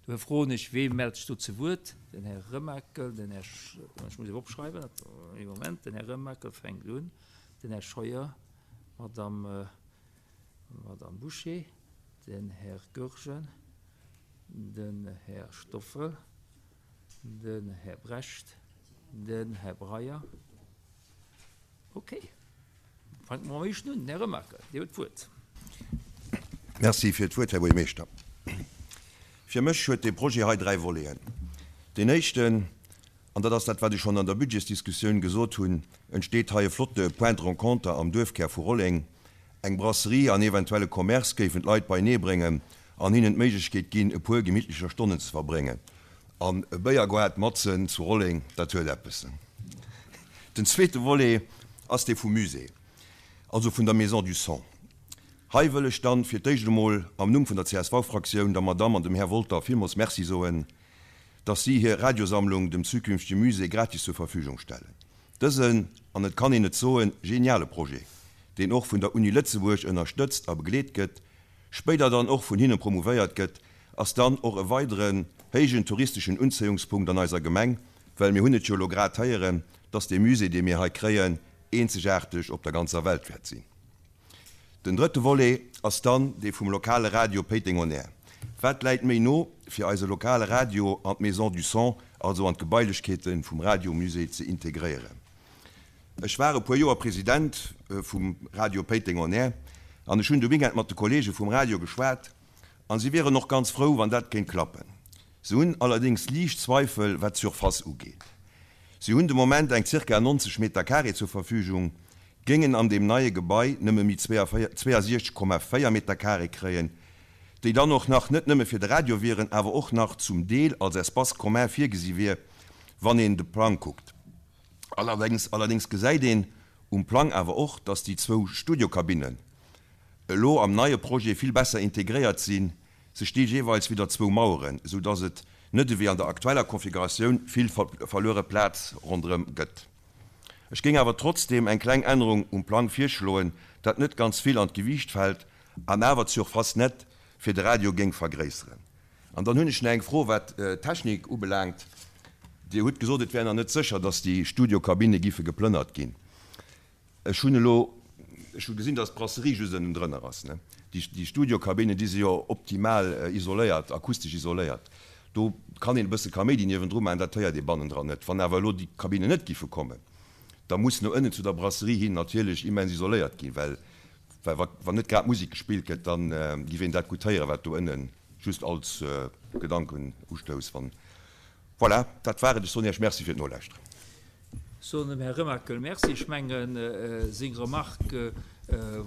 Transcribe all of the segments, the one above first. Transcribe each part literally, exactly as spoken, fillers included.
Dofir froen ech, Wee mellt sech do zu Wuert? Den Här Remakel, den Här, ech muss opschreiwen, ee Moment, den Här Remakel fänkt un, den Här Scheuer, d'Madame, Madame Bouché, den Här Goergen, den Här Stoffel, den Här Brecht, den Här Breyer. Okay. Fänke mer mam éischten un. Den Här Remakel, Dir hutt d'Wuert. Merci fir d'Wuert, Här Buergermeeschter. Fir mech huet dee Projet hei dräi Voleten. Deen éischten, an dat ass dat, wat ech schonn an der Budgetsdiskussioun gesot hunn, entsteet hei e flotte Point de rencontre am Duerfkär vu Rolleng. Eng Brasserie an eventuell e Commerce géifen d'Leit beineebréngen an hinnen d'Méiglechkeet ginn, e puer gemittlecher Stonnen ze verbréngen. An e Béiergoart matzen zu Rolleng, dat huet eppes. Den zweete Volet ass dee vum Musée, also vun der Maison du Son. Hei wëll ech dann fir d'éischt emol am Numm vun der C S V-Fraktioun der Madamm an dem Här Wolter villmools Merci soen, dass si hir Radiosammlung dem zukünftege Musée gratis zur Verfügung stellen. Dësen, an et kann een et soen, geniale Projet, deen och vun der Uni Lëtzebuerg ënnerstëtzt a begleet gëtt, spéider dann och vun hinne promouvéiert gëtt, ass dann och e weideren héijen touristeschen Unzéiungspunkt an eiser Gemeng, well mir hunn et jo elo grad héieren, dass dee Musée, dee mir hei kréien, eenzegaarteg op der ganzer Welt wäert sinn. Den drëtte Volet ass dann dee vum lokale Radio Péiteng On Air. Wat läit méi no, fir eise lokale Radio an d'Maison du Son, also an d'Gebailechkeete vum Radiomusée ze integréieren? Ech war e puer Joer President vum Radio Péiteng On Air an ech hunn de Weekend mat de Kollege vum Radio geschwat an si wieren och ganz frou, wann dat kéint klappen. Se hunn allerdéngs liicht Zweifel, wat d'Surface ugeet. Si hunn de Moment eng zirka neunzeg Meter carré zur Verfügung, géingen an deem neie Gebai nëmme méi zweiundsechzeg Komma véier Meter carré kréien, déi dann och nach net nëmme fir de Radio wieren, awer och nach zum Deel als Espace commun virgesi wier, wann een de Plang kuckt. Allerdéngs allerdéngs gesäit een um Plang awer och, dass déi zwou Studiokabinnen elo am neie Projet vill besser integréiert sinn, se sti jeeweils widder zwou Maueren, esou dass et net ewéi an der aktueller Konfiguratioun vill verluere Plaz ronderëm gëtt. Ech géing awer trotzdeem eng kleng Ännerung um Plang virschloen, dat net ganz vill an d'Gewiicht fält an awer d'Surface net fir de Radio géing vergréisseren. An dann hunn ech nach eng Fro, wat d'Technik ubelaangt. Dir hutt gesot, et wär nach net sécher, dass déi Studiokabinne giffe geplënnert ginn. Ech hunn elo, ech hu gesinn, dass d'Brasserie just ënnendrënner ass, ne? Déi, déi Studiokabinne, déi si jo optimal isoléiert, akustesch isoléiert. Do kann een e bësse Kaméidi niewendru maachen, dat héiert ee bannendran net. Wann awer elo déi Kabinnen net giffe kommen, da muss no ënnen zu der Brasserie hin natierlech immens isoléiert ginn, well, well wa, wann net grad Musek gespillt gëtt, da giff een dat gutt héieren, wat do ënnen, just als Gedankenustouss, wann. Voilà, dat war et. Ech soen Iech Merci fir d'Nolauschteren. Soen dem Här Remakel Merci. Ech mengen, seng Remarque,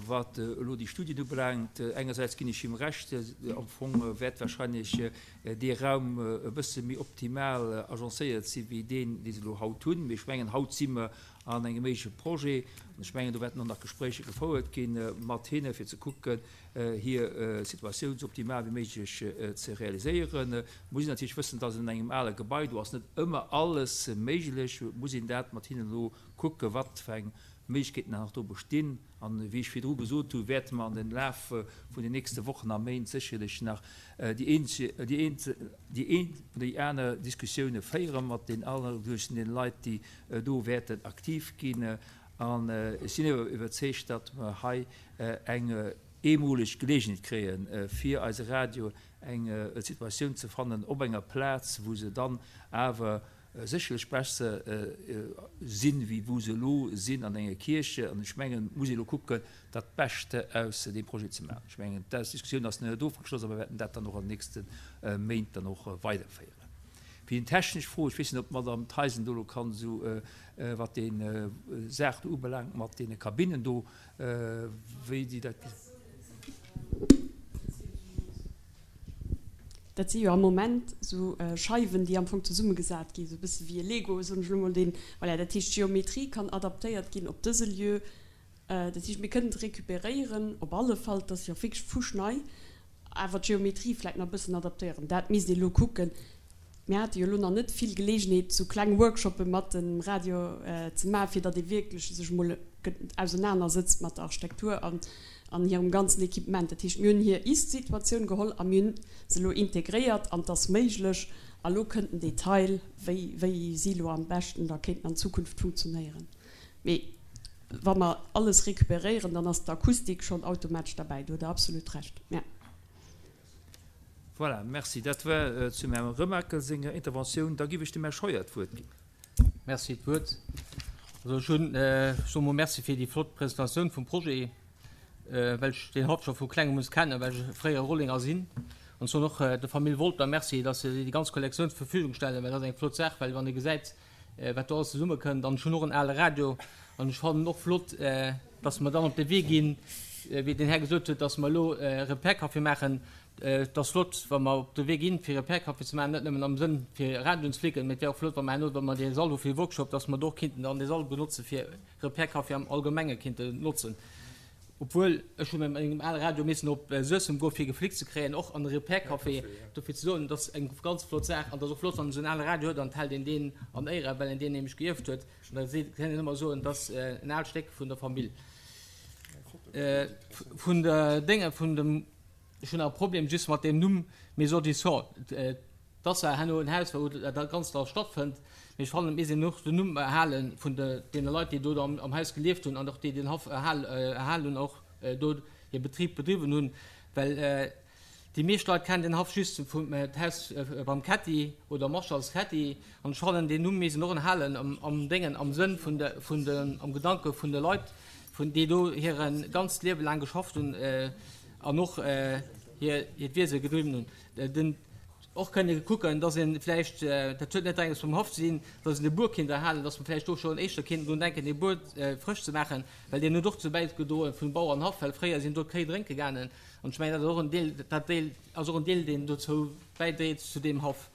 wat elo déi Studien ubelaangt, engersäits ginn ech him Recht, am Fong wäert wahrscheinlech dee Raum e bësse méi optimal agencéiert si wéi deen, dee se elo haut hunn. Mee ech mengen, haut si mer an engem éische Projet an ech mengen, do wäerten och nach Gespréicher gefouert gi mat hinne fir ze kucken, hir Situatioun esou optimal wéi méiglech ze realiséieren. Muss een natierlech wëssen, dass an engem ale Gebai, do ass net ëmmer alles méiglech, muss een dat mat hinnen elo kucken, wat fir eng Méiglechkeeten nach do bestinn. An wéi ech virdru gesot hunn, wäerte mer an den Laf vun den nächste Wochen a Méint sécherlech nach déi een oder déi aner Diskussioune féiere mat den alleguerten Leit, déi do wäerten aktiv ginn. An ech sinn iwwerzeegt, datt mer hei eng eemoleg Geleegenheet kréien, fir eise Radio eng Situatioun ze fannen op enger Plaz, wou se dann awer sécherlech besser sinn, wéi wou se elo sinn an enger Kierch. An ech mengen, et muss ee elo kucken, dat Bescht aus deem Projet ze maachen. Ech mengen, d'Diskussioun ass net ofgeschloss, a mer wäerten dat dann och an den nächste Méint dann och weiderféieren. Fir déi technesch Fro, ech weess net, ob d'Madame Theisen do elo kann esou, wat déi Saach do ubelaangt mat deene Kabinnen do, wéi déi dat gesinn. Dat si jo am Moment esou Scheiwen, déi am Fong zesummegesat ginn, esou e bësse wéi e Lego, soen ech elo mol, deen, voilà, dat heescht, d'Geometrie kann adaptéiert ginn op dëse Lieu. Dat heescht, mir kënnen et recuperéieren, op alle Fall, et ass jo wierklech fuschnei, awer d'Geometrie vläicht nach e bëssen adaptéieren. Dat misst ee elo kucken. Mir hate jo elo nach net vill Geleegenheet, esou kleng Workshoppe mat dem Radio ze maachen, fir datt ee wierklech sech emol ausenanersëtzt mat der Architektur an an hirem ganzen Equipement. Dat heescht, mir hunn hir Ist-Situatioun geholl a mir hunn se elo integréiert an et ass méiglech. A lo kënnt den Detail, wéi, wéi si lo am beschten da kéinten an Zukunft funktionéieren. Mee wa mer alles recuperéieren, dann ass d'Akustik schonn automatesch derbäi. Do hutt Der absolut Recht, ja. Voilà, merci. Dat war zum Här Remakel senger Interventioun. Da giff ech dem Här Scheuer d'Wuert ginn. Merci d'Wuert. Also ech hunn, ech soe mol Merci fir déi flott Presentatioun vum Projet, well ech deen Haff scho vu klengem un kennen, well ech fréiere Rollenger sinn. An ech soen och der Famill Wolter Merci, dass se déi ganz Kollektioun zur Verfügung stellen, well dat ass eng flott Saach, well wann ee gesäit, wat do alles zesummekënnt. An ech hunn och en ale Radio an ech fannen och flott, dass mer dann op de Wee ginn, wéi den Här gesot huet, dass mer elo Repair-Café maachen. Et ass flott, wa mer op de Wee ginn, fir Repair-Café ze maachen, net nëmmen am Sënn, fir Radioen ze flécken, mee et wär och flott, wa mer herno, wa mer dee Sall hu fir Workshop, dass mer do och kinnten dann dee Sall benotze fir Repair-Café am Allgemenge kinnten notzen. Obwuel, ech hu mat mengem ale Radio missen op Suessem goen, fir geflickt ze kréien, och an de Repair-Café. Dofir ze soen, et ass eng ganz flott Saach an et ass och flott, wann een esou en ale Radio huet an et hält een deen an Éiere, well een deen nämlech geierft huet. An da kann een ëmmer soen, et ass en aalt Stéck vun der Famill. Vun der Dénge vun dem, ech hunn nach e Problem just mat deem Numm Maison du Son, dass war herno en Haus, wou dat Ganzt da stattfënnt, mee ech fannen, et misst een och den Numm erhale vun deene Leit, déi do am Haus gelieft hunn an och déi den Haff erhalen hunn, och do hir Betrib bedriwwen hunn, well déi meescht Leit kennen den Haff just vum d'Haus beim Ketty oder Marschalls Ketty. An ech fannen, deen Numm misst een och erhalen am Déngen, am Sënn vun de, vun de, am Gedanke vun de Leit, vun déi do hire ganzt Liewe laang geschafft hunn an och hir, hiert Wiese gedriwwen hunn. Den, och kënne kucken, dass ee vläicht, dat huet net direkt eppes mam Haff ze dinn, dass een de Buer kéint erhalen, dass mer vläicht do schonn éischter kéinten drun denken, dee Buer frësch ze maachen, well deen huet och dozou bäigedroen vum Bauernhaff, well fréier sinn do d'Kéi drénke gaangen. An ech mengen, dat ass och en Deel, dat Deel ass och en Deel, deen dozou bäidréit zu deem Haff.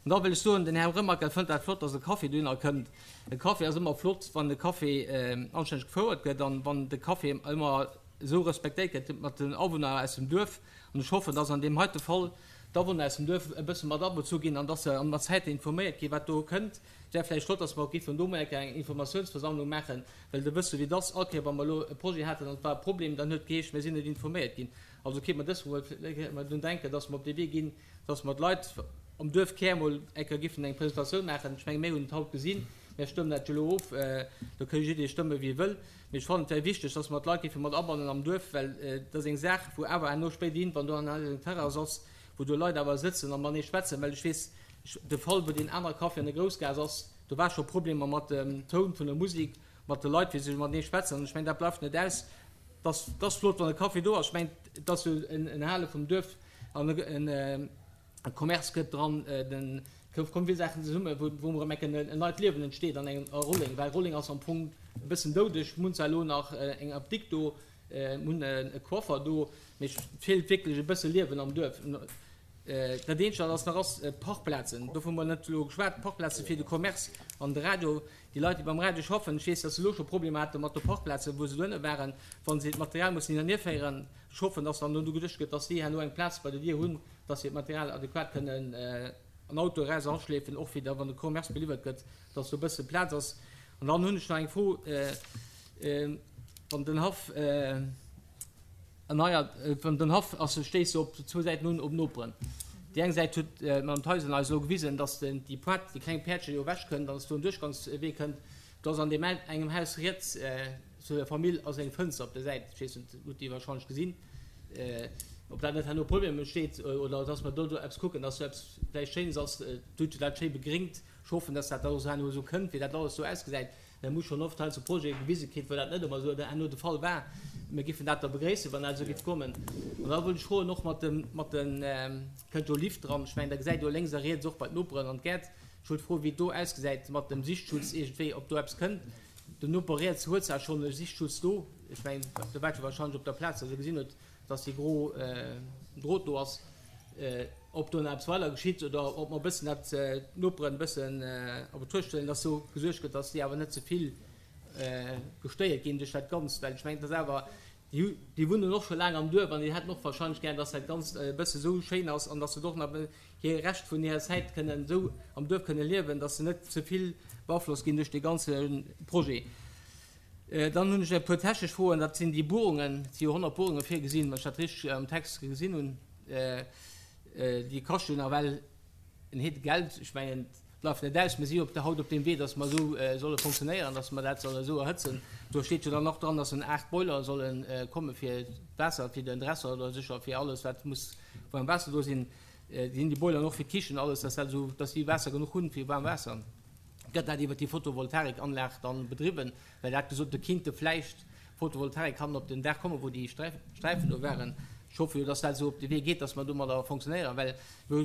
An da wëll ech soen, den Här Remakel fënnt dat flott, dass e Café dohinner kënnt. E Café ass ëmmer flott, wann de Café anstänneg gefouert gëtt an wann de Café ëmmer esou respektéiert gëtt mat den Awunner aus dem Duerf. An ech hoffen, dass an deem heite Fall d'Awunner aus dem Duerf e bësse mat abezu ginn an dass se mat Zäiten informéiert ginn, wat do kënnt. Et wär vläicht flott, dass mer och géifen do mol eng Kéier eng Informatiounsversammlung maachen, well Der wësst jo, wéi et ass, all Kéier, wa mer elo e Projet haten an et war e Problem, dann huet et geheescht, mir sinn net informéiert ginn. Also kéint mer dës mol drun denken, dass mer op dee Wee ginn, dass mer d'Leit am Duerf Kär mol eng Kéier géifen eng Presentatioun maachen. Ech menge mir hunn et haut gesinn, mir stëmmen dat jo elo of, do ka jidderee stëmme wéi e wëll. Mee ech fannen, et wär wichteg, dass mer d'Leit géife mat abannen am Duerf, well et ass eng Saach, wou awer herno spéiderhin, wann do eng Terrass ass, wou do Leit awer sëtzen a matenee schwätzen, well ech weess, de Fall, wou deen anere Café an der Groussgaass ass, do war scho Problemer mat dem Toun vun der Musek, mat de Leit, wéi se matenee schwätzen. An ech mengen, dat bleift net aus. Et ass flott, wann e Café do ass. Ech mengen, et ass jo en Erhale vum Duerf an e Commerce gëtt dran. Et komme vill Saachen zesummen, wou wou erëm enk en neit Liewen entsteet an engem a Rolleng, well Rolleng ass am Fong e bëssen doudeg. Mir hunn zwar elo nach eng Apdikt do, Mir hunn e Coiffer do, mee et feelt wierklech e bësse Liewen am Duerf. Dat eenzegt, wat ass nach ass, Parkplazen. Dovun hu mer net elo geschwat. Parkplaze fir de Commerce an de Radio. Déi Leit, déi beim Radio schaffen, ech weess, datt se elo scho Problemer hate mat de Parkplazen, wou se dohinne waren, wa se d'Material mussen hin an hierféieren. Ech hoffen, datt dann do geduecht gëtt, datt si herno eng Plaz bei der Dier hunn, datt se hiert Material adequat kënnen an Auto eraus eraschleefen, och fir da wann de Commerce beliwwert gëtt, datt do e bësse Plaz ass. An dann hunn ech nach eng Fro. Wann den Haff erneiert, wann den Haff ass, stéisst se op zwou Säiten un op Noperen. Déi eng Säit huet d'Madame Theisen eis elo gewisen, dass den, déi Pointe, déi kleng Päerdche jo ewech kënnt an dass do en Duerchgangswee kënnt. Do ass an deem engem Haus riets zu der Famill ass eng Fënster op der Säit, ech weess net, hutt Dir wahrscheinlech gesinn, ob dat net herno Problem entsteet oder dass mer do do eppes kucken, dass do eppes vläicht Schéines ass. Dir hutt jo dat schéi begréngt. Ech hoffen, dass dat da och herno esou kënnt, wéi dat alles do ausgesäit. Mir hu schonn oft heiansdo Projete gewise kritt, wou dat net ëmmer esou herno de Fall war. Mir géifen dat da begréissen, wann dat esou géif kommen. An da wollt ech froen, och mat dem, mat den, kënnt jo Lift dran, ech mengen, da gesäit jo lénks a riets och bei d'Noperen an d'Gäert. Ech wollt froen, wéi et do ausgesäit mat dem Sichtschutz iergendwéi, ob do eppes kënnt. Den Noper riets huet zwar schonn e Sichtschutz do, ech mengen, do waart jo wahrscheinlech op der Plaz, datt e gesinn huet, datt dee gro Drot do ass. Ob do nach eppes weider geschitt oder ob mer e bëssen dat d'Noperen e bëssen a Betruecht huelen, dass do gesuergt gëtt, dass déi awer net ze vill gestéiert ginn duerch dat Ganzt. Well ech mengen, et ass awer, déi hu, déi wunnen och scho laang am Duerf an déi hätten och wahrscheinlech gär, dass dat Ganzt e bësse sou schéin ass an dass se och nach hir Rescht vun hirer Zäit kënnen esou am Duerf kënne liewen, dass se net ze vill beaflosst ginn duerch dee ganze Projet. Dann hunn ech e puer technesch Froen, dat sinn déi Buerungen, et si jo honnert Buerunge virgesinn, wann ech dat richteg am Text gesinn hunn. Déi kaschten nawell en Heede Geld. Ech mengen, et bleift net aus, mir si jo haut op deem Wee, datt mer esou solle fonctionnéieren, datt mer dat solle esou erhëtzen. Do steet jo dann och dran, datt en aacht Boiler solle komme fir d'Waasser, fir den Dresser oder sécher fir alles, wat muss waarm Waasser do sinn. Sinn déi Boileren och fir d'Kichen, alles, datt dat esou, datt si Waasser genuch hunn fir waarm Waasser. Gëtt dat iwwer déi Photovoltaikanlag dann bedriwwen? Well Der hat gesot, do kinnte vläicht Photovoltaik kann op den Daach kommen, wou déi Sträifen do waren. Ech hoffe jo, dass dat esou op de Wee geet, dass mer domadder fonctionnéieren, well mir hu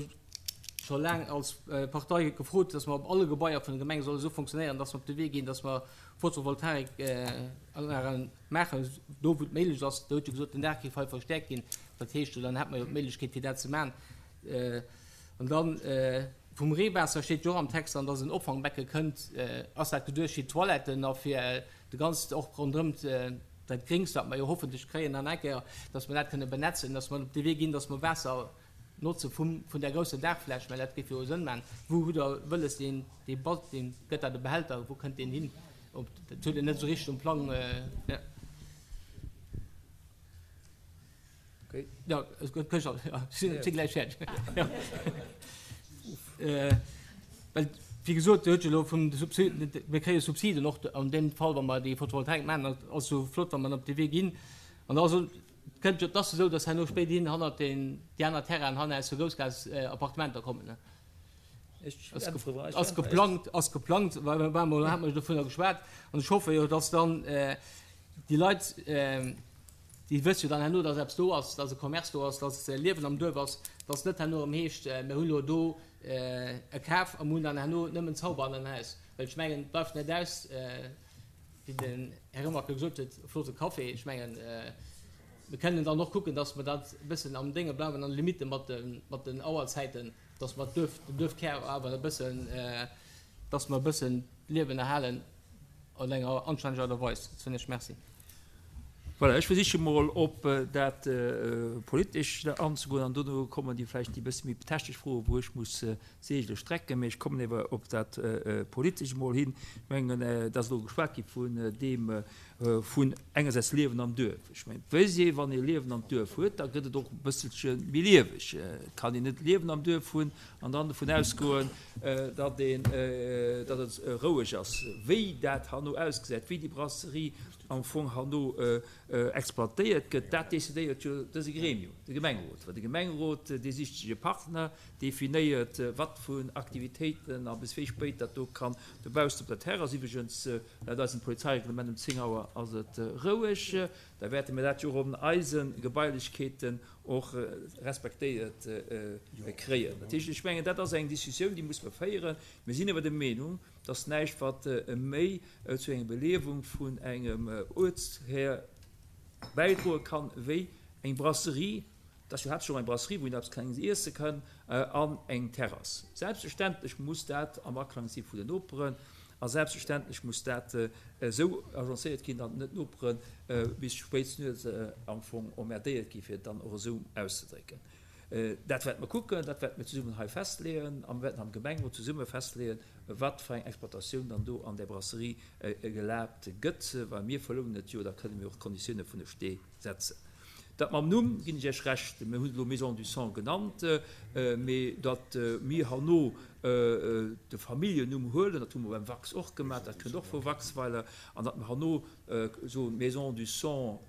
scho laang als Partei gefrot, dass mer op alle Gebaier vun der Gemeng solle esou fonctionnéieren, dass mer op de Wee ginn, dass mer Photovoltaikanlagen maachen, do wou et méiglech ass. Der hutt jo gesot, den Daach géif hei verstäerkt ginn. Dat heescht jo, dann hätt mer jo d'Méiglechkeet fir dat ze maachen. An dann vum Reewaasser steet jo och am Text dran, dass en Opfangbecke kënnt. Ass dat geduecht fir d'Toiletten a fir de ganzt, och ronderëm dat Gréngs, wat mer jo hoffentlech kréien dann eng Kéier, dass mer dat kënne benetzen, dass mer op dee Wee ginn, dass mer Waasser notze vum, vun där grousser Daachfläch, well dat géif jo Sënn maachen. Wou hutt Der wëlles deen, dee Ba, deen, gëtt dat e Behälter, wou kënnt deen hin? Ob, dat hutt Der net esou richteg um Plang. Ja, si gläich fäerdeg. Well, wéi gesot, Dir hutt jo elo vun de Subsiden, mir kréie Subsiden och an deem Fall, wa mer déi Photovoltaik maachen. Dat ass jo flott, wa mer op dee Wee ginn. An da ass et, kënnt jo, et ass esou, datt herno spéiderhin hannert deen, déi aner Terrainen hannen aus der Groussgaass Appartementer kommen. Ass geplangt, ass geplangt, war emol, hat mer jo dovunner geschwat. An ech hoffe jo, datt dann déi Leit, Déi wësse jo dann herno, dass eppes do ass, dass e Commerce do ass, dass Liewen am Duerf ass, dass net herno erëm heescht, mir hunn elo do e Kaf a mir hunn dann herno nëmmen Zauber an den Haus. Well ech mengen, et bleift net aus, wéi den Här Remakel gesot huet, e flotte Café. Ech mengen, mir kënnen dann och kucken, dass mer dat e bëssen am Dénge bleiwen, an de Limitte mat den Auerzäiten, dass mer d'Duerf, den Duerfkär awer e bëssen, dass mer e bëssen d'Liewen erhalen an enger anstänneger Aart a Weis. Dat soen ech. Merci. Voilà, ech versiche mol op dat Politescht anzegoen an dono kommen déi vläicht déi bësse méi technesch Froen, wou ech muss Seegele strecken. Mee ech kommen ewer op dat Politescht emol hin. Ech mengen, et ass elo geschwat gi vun deem, vun engersäits Liewen am Duerf. Ech mengen, et weess ee, wann ee Liewen am Duerf huet, da gëtt et och e bësselche méi lieweg. Et kann een net Liewen am Duerf hunn an dann dovun ausgoen, datt een, datt et roueg ass. Wéi dat herno ausgesäit, wéi déi Brasserie am Fong herno exploitéiert gëtt, dat decidéiert jo dëse Gremium, de Gemengerot. Well de Gemengerot, dee sicht sech e Partner, definéiert, wat vun Aktivitéiten a bis wéi spéit dat do kann dobaussen op der Terrass. Iwwregens, laut eisem Polizeireglement um zéng Auer ass et roueg. Da wäerte mir dat jo och an eise Gebailechkeeten och respektéiert kréien. Dat heescht, ech mengen, dat ass eng Diskussioun, déi muss mer féieren. Mir sinn awer der Meenung, dass näischt wat méi zu enger Beliewung vun engem Uertshär bäidroe kann, wéi eng Brasserie, dat ass jo haaptsächlech och eng Brasserie, wou een eppes Klenges iesse kann, an eng Terrass. Selbstverständlech muss dat am Aklang si vu den Noperen a selbstverständlech muss dat esou agencéiert ginn, datt net d'Nopere bis spéit nuets am Fong emmerdéiert gi fir et dann och esou auszedrécken. Dat wäerte mer kucken, dat wäerte mir zesummen hei festleeën a mir wäerten am Gemengerot zesumme festleeën, wat fir eng Exploitatioun dann do an där Brasserie gelaabt gëtt. Well mir verlounen et jo, da kënne mir och d'Konditioune vun de Stee setzen. Dat mam Numm ginn ech Iech Recht, mir hunn et elo Maison du Sang genannt, mee datt mir herno de Familljennumm huelen, dat hu mer beim Wax och gemaach, dat kënnt och vu Waxweiler, an datt mer herno soen Maison du Sang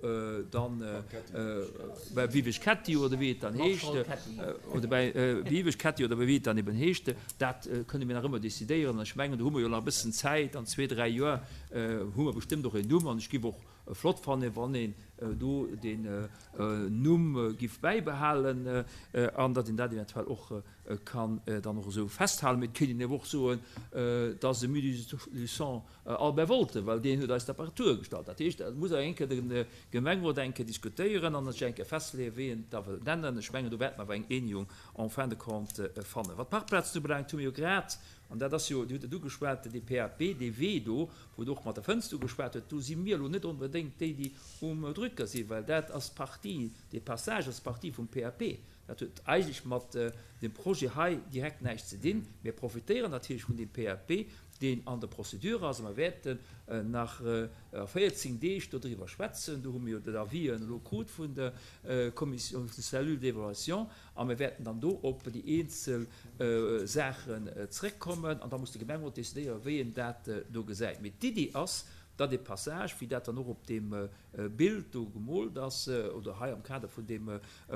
dann bei Wiwesch Ketty oder wéi et dann heescht, oder bei Wiwesch Ketty oder wéi et dann eben heescht, dat kënne mir nach ëmmer decidéieren. An ech mengen, do hu mer jo nach e bëssen Zäit, an zwee, dräi Joer hu mer bestëmmt och een Numm. An ech géif och flott fannen, wann een do den Numm giff bäibehalen an datt een dat eventuell och kann dann och esou festhalen. Mee et kéint een awer och soen, dass e Musée Albert Wolter, well deen huet eis d'Apparatur gestallt. Dat heescht, dat muss awer eng Kéier de Gemengerot eng Kéier diskutéieren an sech eng Kéier festleeën, wéi en et da wëllt nennen. Ech mengen, do wäerte mer awer eng Eenegung en fin de compte fannen. Wat d'Parkplazen ubelaangt, hu mir jo grad, an dat ass jo, Dir hutt et ugeschwat, dee P A P, dee Wee do, wou et och mat der Fënster ugeschwat huet, do si mir elo net onbedéngt déi, déi um Drücker sinn, well dat ass Partie, dee Passage ass Partie vum P A P. Dat huet eigentlech mat deem Projet hei direkt näischt ze dinn. Mir profitéieren natierlech vun deem P A P, deen an der Procédure ass, a mer wäerten nach a véierzéng Deeg dodriwwer schwätzen. Do hu mir jo den Avis elo krut vun der Kommission, vun der Cellule d'évaluation, a mir wäerten dann do op déi eenzel Saachen zréckkommen, an da muss de Gemengerot decidéieren, wéi en dat do gesäit. Mee d'Iddi ass, datt e Passage, wéi dat dann och op deem Bild do gemoolt ass oder hei am Kader vun deem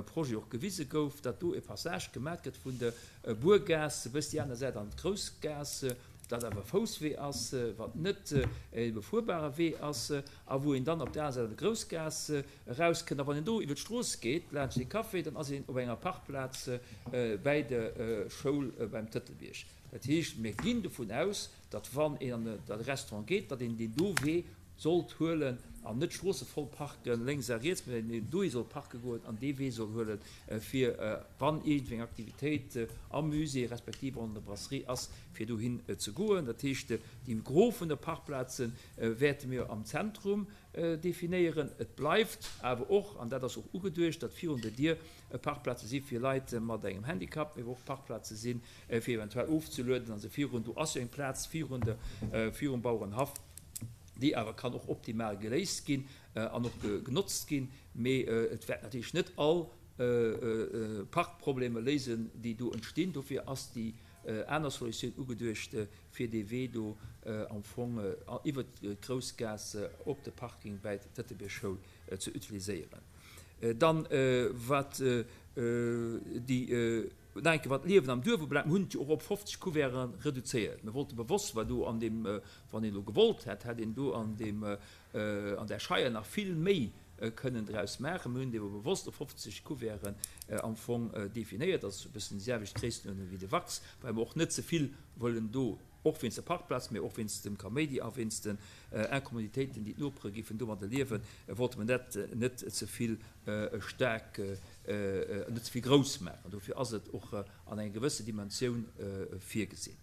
Projet och gewise gouf, datt do e Passage gemat gëtt vun der Buergaass bis déi aner Säit an d'Groussgaass, dat awer Fousswee ass, wat net e befuerbare Wee ass, a wou een dann op der aner Säit an der Groussgaass erauskënnt. A wann een do iwwer d'Strooss geet, laanscht dee Café, dann ass een op enger Parkplaz bäi der Schoul beim Tëtelbierg. Dat heescht, mir ginn dovun aus, datt wann een an de Restaurant geet, datt een deen do Wee sollt huelen an net d'Stroosse voll parken, lénks a riets, mä een dohi soll parke goen an dee Wee soll huelen, fir wann iergendwéi eng Aktivitéit am Musée respektiv an der Brasserie ass, fir dohin ze goen. Dat heescht, déi Gros vun de Parkplaze wäerte mir am Zentrum definéieren. Et bleift awer och, an dat ass och ugeduecht, datt virun der Dier Parkplaze si fir Leit mat engem Handicap, mee och Parkplaze si fir eventuell ofzelueden. Also virun, do ass jo eng Plaz virun der, virum Bauerenhaff, déi awer kann och optimal geléist ginn an och genotzt ginn, mee et wäert natierlech net all Parkproblemer léisen, déi do entstinn. Dofir ass déi aner Solutioun ugeduecht, fir dee Wee do am Fong iwwer d'Groussgaass op de Parking bäi d'Tëtelbierg-Schoul ze utiliséieren. Dann wat déi nach eng Kéier, wat d'Liewen am Duerf ubelaangt, mir hunn et jo och op fofzeg Couverten reduzéiert. Mir wollte bewosst, well do an deem, wann een elo gewollt hätt, hätt een do an deem, an där Scheier nach vill méi kënnen draus maachen. Mir hunn et ebe bewosst op fofzeg Couverten am Fong definéiert. Dat ass e bëssen déi selwecht Gréisstenuerdnung wéi de Wachs, well mer och net ze vill wëllen do, och wéinst der Parkplaz, mee och wéinst dem Kaméidi a wéinst den Incommoditéiten, déi d'Nopere géifen domadder liewen, wollte mer dat net ze vill staark, net ze vill grouss maachen. Dofir ass et och an enger gewësse Dimensioun virgesinn.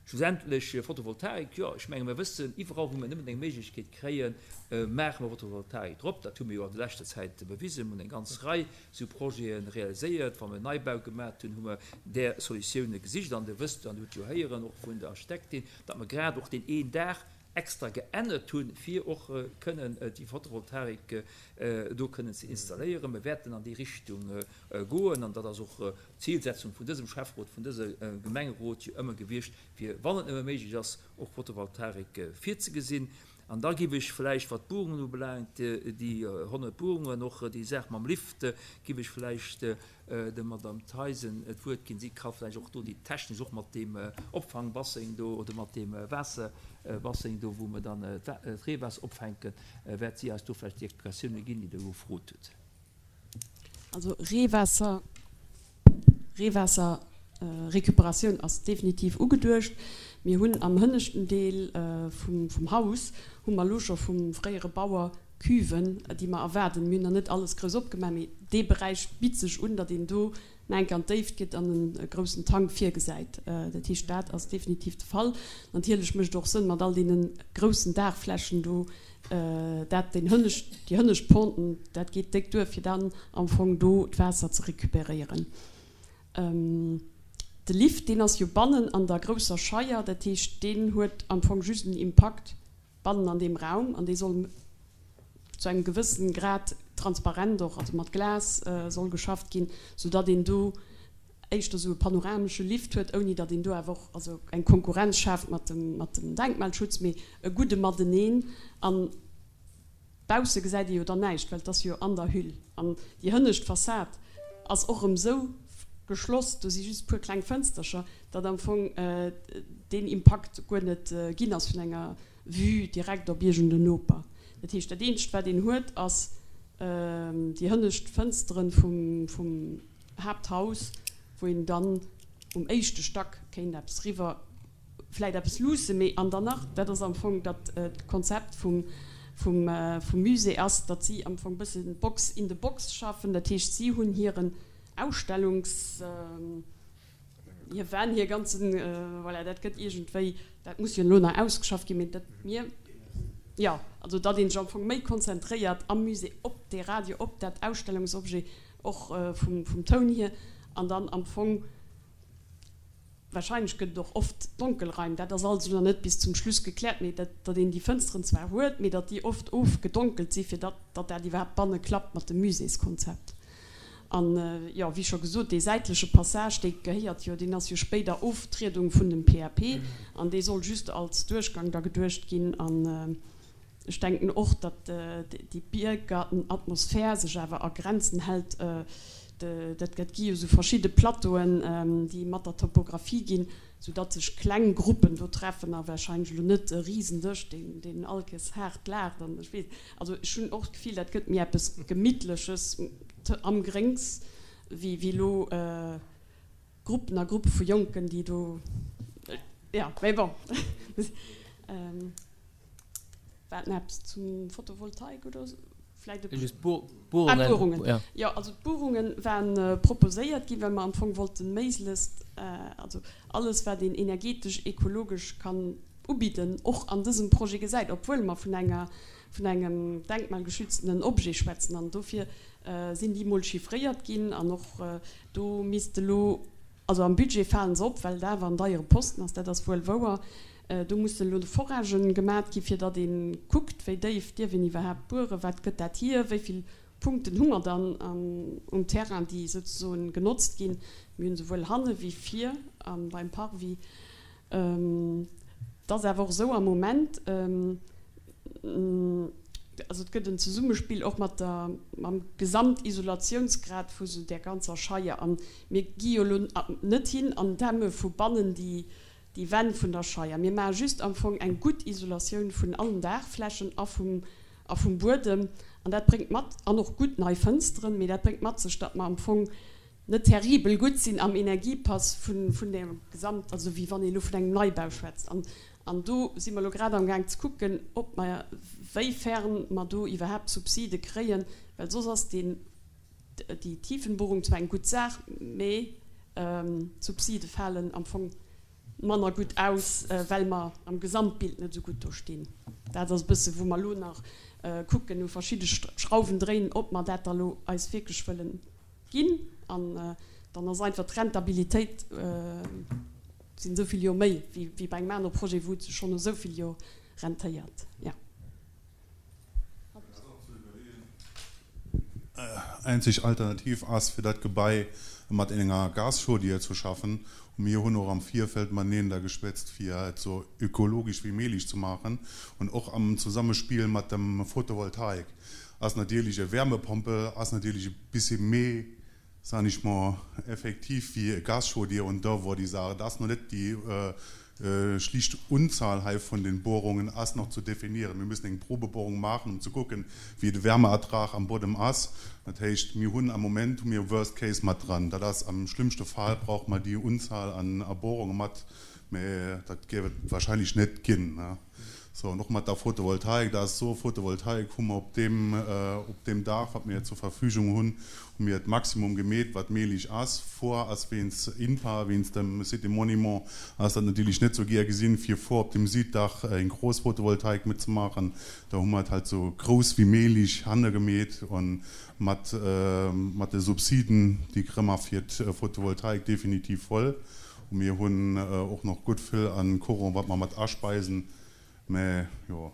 Schlussendlech Photovoltaik, jo, ech menge mir wëssen, iwwerall wou mir nëmmen eng Méiglechkeet kréien, maache mer Photovoltaik drop. Dat hu mir jo an der leschter Zäit bewisen, mir hunn eng ganz Rei sou Projete realiséiert. Wa mir Neibau gemaach hunn, hu mer där Solutioune gesicht. An Dir wësst, an Dir hutt jo héieren och vun der Architektin, datt mer grad och deen een Dag extra geännert hunn, fir och kënnen déi Photovoltaik do kënnen ze installéieren. Mir wäerten an déi Richtung goen, an dat ass och d'Zielsetzung vun dësem Schäfferot, vun dësem Gemengerot jo ëmmer gewiescht, fir, wann et nëmme méiglech ass, och Photovoltaik virzegesinn. An da gif ech vläicht, wat d'Buerungen ubelaangt, déi honnert Buerungen, och déi Saach mam Lift, gif ech vläicht der Madame Theisen d'Wuert ginn. Si ka vläicht och do déi technesch, och mat deem Opfangbasseng do oder mat deem Waasserbasseng do, wou mer dann d'Reewaasser opfänken, wäert si eis do vläicht déi Explikatioune ginn, déi Der gefrot hutt. Also Reewaasser, Reewaasser Récupératioun ass definitiv ugeduecht. Mir hunn am hënneschten Deel vum, vum Haus hu mer elo scho vum fréiere Bauer Cuven, déi mer erwaarden. Mir hunn nach net alles grouss opgemaach, mee dee Beräich bitt sech un, datt een do nach eng Kéier an d'Déift geet an e groussen Tank virgesäit. Dat heescht, dat ass definitiv de Fall. Natierlech mécht et och Sënn, mat all deene groussen Daachflächen do, dat den hënnescht, déi hënnescht Ponten, dat geet déck duer, fir dann am Fong do d'Waasser ze récupéréieren. De Lift, deen ass jo bannen an der grousser Scheier, dat heescht, deen huet am Fong just en Impakt bannen an deem Raum, an dee soll zu engem gewëssen Grad transparent och, also mat Glas soll geschafft ginn, soudatt een do éischter sou e panoramesche Lift huet, ouni datt een do awer och also eng Konkurrenz schaaft mat dem, mat dem Denkmalschutz, mee e gudde Mateneen. An bausse gesäit ee jo dann näischt, well et ass jo an der Hüll. An déi hënnescht Fassad ass och erëm sou geschloss, do si just e puer kleng Fënstercher, datt am Fong deen Impakt guer net ginn ass vun enger Vue direkt op iergend en Noper. Dat heescht, dat eenzegt, wat een huet, ass déi hënnescht Fënsteren vum, vum Haapthaus, wou een dann um éischte Stack kéint eppes riwwer, vläit eppes luussen, mee an dann nach, dat ass am Fong dat d'Konzept vum, vum, vum Musée ass, datt si am Fong e bëssen Box in the Box schaffen. Dat heescht, si hunn hiren Ausstellungs-, hir Wänn, hir ganzen, voilà, dat gëtt iergendwéi, dat muss jo elo nach ausgeschafft ginn, mee dat mir, jo, also datt een sech am Fong méi konzentréiert am Musée op dee Radio, op dat Ausstellungsobjet, och vum, vum Toun hier, an dann am Fong wahrscheinlech gëtt et och oft Donkelraim, dat ass also nach net bis zum Schluss gekläert, mee dat, datt een déi Fënsteren zwar huet, mee datt déi oft ofgedonkelt si fir datt, datt dat iwwerhaapt banne klappt mat dem Muséeskonzept. An, jo, wéi scho gesot, dee säitleche Passage, dee gehéiert jo, deen ass jo spéider Oftriedung vun dem PAP an dee soll just als Duerchgang da geduecht ginn. An ech denken och, datt déi Biergartenatmosphär sech awer a Grenzen hält. Dat gi jo esou verschidde Plateauen, déi mat der Topographie ginn, soudatt sech kleng Gruppen do treffen a warscheinlech elo net e Risendësch, deen, deen all Kees haart laacht an ech weess. Also ech hunn och d'Gefill, dat gëtt méi eppes Gemittleches am Gréngs wéi, wéi elo Gruppen a Gruppe vu Jonken, déi do, jo, mee bon. War nach eppes zum Photovoltaik oder esou? Vläit e Just Ah, d'Buerungen. d'Buerungen. Ja. Jo, also d'Buerunge waren proposéiert ginn, well mer am Fong wollten méiglechst, also alles, wat een energetesch, ekologesch kann ubidden, och an dësem Projet gesäit, obwuel mer vun enger, vun engem denkmalgeschütztenen Objet schwätzen. An dofir sinn déi mol chiffréiert ginn an och do misst elo, also am Budget falen se op, well et awer en deiere Posten ass, dat ass wuel wouer. Do mussen elo Foragen gemat gi fir datt ee kuckt, wéi déif dierf een iwwerhaapt bueren, wat gëtt dat hier, wéi vill Punkten hu mer dann um Terrain, déi souzesoen genotzt ginn. Mir hunn souwuel hanne wéi vir beim Parvis. Et ass awer och esou am Moment, also et gëtt en Zesummespill och mat der, mam Gesamtisolatiounsgrad vu sou där ganzer Scheier. A mir gi jo elo net hin an dämme vu bannen déi déi Wänn vun der Scheier. Mir maache just am Fong eng gutt Isolatioun vun allen Daachflächen a vum, a vum Buedem. An dat bréngt mat, an och gutt nei Fënsteren, mee dat bréngt mat sech, datt mer am Fong net terribel gutt sinn am Energiepass vun, vun der Gesamt, also wéi wann ee elo vun engem Neibau schwätzt. An, an do si mer elo grad amgaang ze kucken, ob mer, wéifern mer do iwwerhaapt Subside kréien, well soss ass deen, déi Tiefenbohrung zwar eng gutt Saach, mee d'Subside falen am Fong manner gutt aus, well mer am Gesamtbild net esou gutt do stinn. Dat ass e bësse wou mer elo nach kucken, u verschidde Schrauwen dréinen, ob mer dat da elo eis wierklech wëllen ginn. An dann ass einfach d'Rentabilitéit sinn esou vill Joer méi wéi bei engem anere Projet, wou et sech schonn no esou vill Joer rentéiert. Jo. Eenzeg Alternativ ass, fir dat Gebai mat enger Gaschaudière ze schaffen. Und mir hunn och am Virfeld mateneen da geschwätzt, fir et sou ökologisch wéi méiglech ze maachen. Und och am Zusammenspiel mat dem Photovoltaik ass natierlech e Wärmepompe ass natierlech e bësse méi, sag ich mal, effektiv wéi e Gaschaudière. Und da wor déi Saach, et ass nach net déi schlicht Unzahl hei vun den Bohrungen ass nach zu definieren. Mir müssen eng Probebohrung maachen, um ze kucken, wéi de Wärmeertrag am Buedem ass. Dat heescht, mir hunn am Moment hu mir Worst Case mat dran. Dat ass am schlimmste Fall brauche mer déi Unzahl an Bohrunge mat, mä dat géif et wahrscheinlech net ginn. So, an och mat der Photovoltaik, dat ass so, Photovoltaik hu mer op deem, op deem Daach, wat mir zur Verfügung hunn, hu mir d'Maximum gemeet, wat méiglech ass. Vor ass wéinst INPA, wéinst dem Cité Monument, ass dat natierlech net sou gär gesinn, fir vor op dem Süddach eng grouss Photovoltaik mitzemaachen. Da hu mer et halt sou grouss wéi méiglech hanne gemeet an mat, mat de Subsiden, déi kréie mer fir d'Photovoltaik definitiv voll. Und mir hunn och nach gutt vill an Courant, wat mer mat aspeisen. Mä jo,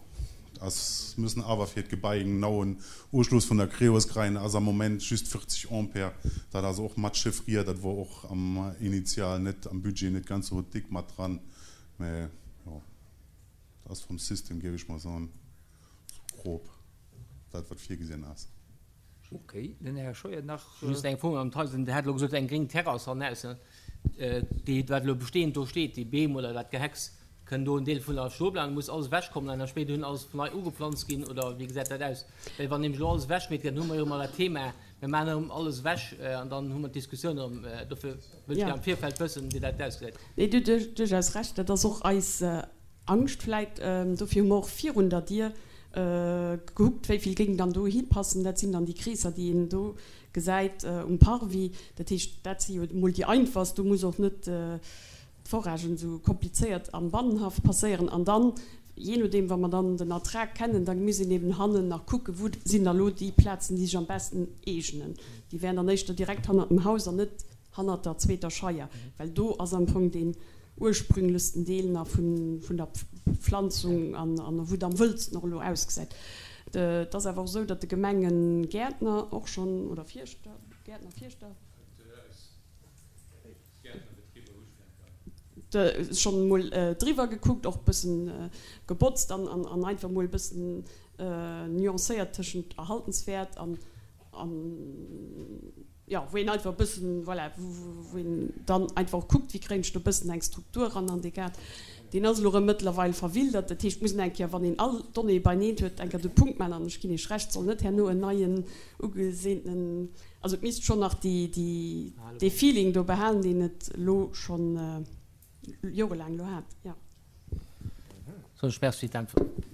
et ass, müssen awer fir d'Gebai en genauen Uschluss vun der Creos kréien, ass am Moment just véierzeg Ampere. Dat ass och mat chiffriert, dat wor och am Initial net, am Budget net ganz esou dick mat dran. Mä jo, dat ass vum System, géif ech mol soen, sou grob dat, wat virgesinn ass. Ok, den Här Scheuer nach. Just eng Fro, Madame Theisen, Dir hat elo gesot, eng gréng Terrass hannaussen, déi, wat elo bestehend do steet, déi Beem oder dat Gehecks, kënn do en Deel vun der stoe bleiwen? Muss alles ewechkommen an da spéiderhin alles nei ugeplanzt ginn oder wéi gesäit dat aus? Well wann nämlech elo alles ewechgemeet gëtt, dann hu mer jo ëmmer dat Thema, mir maachen erëm alles ewech an dann hu mer d'Diskussioun erëm. Dofir wëllt ech gär am Virfeld wëssen, wéi dat ausgesäit. Nee, Dir hutt duerchaus Recht. Dat ass och eis Angscht vläit. Dofir hu mer och virun der Dier gekuckt, wéi vill géing dann do hipassen. Dat sinn dann déi Kreesser, déi een do gesäit um Parvis. Dat heescht, dat si jo emol déi einfachst. Do muss och net d'Foragen esou komplizéiert am Bannenhaff passéieren. An dann, jee nodeem, wa mer dann den Ertrag kennen, da muss een eben hannen nach kucken, wou sinn da lo déi Plazen, déi sech am besten eegnen. Déi wären dann éischter direkt hannert dem Haus an net hannert der zweeter Scheier, well do ass am Fong deen ursprünglechsten Deel nach vun vun der Pflanzung an an wou et am wëllsten och elo ausgesäit. Et ass awer och esou, datt de Gemengegäertner och schonn, oder Fierschter, Gäertner, Fierschter, schonn emol driwwer gekuckt, och e bëssen gebotzt an an einfach emol e bëssen nuancéiert tëschent erhaltenswäert an an jo, wou een einfach e bëssen, voilà, wou een dann einfach och kuckt, wéi kréien ech do e bëssen eng Struktur eran an dee Gaart. Deen ass elo erëm mëttlerweil verwildert. Dat heescht, et muss een eng Kéier, wann een all d'Donnéeë beineen huet, eng Kéier de Punkt maachen. An ech ginn Iech Recht, et soll net herno en neien ugeseentenen, also et misst schonn nach déi, déi, dee Feeling do behalen, deen et elo schonn jorelaang elo hat, jo. Soen ech Merci fir d'Äntwert.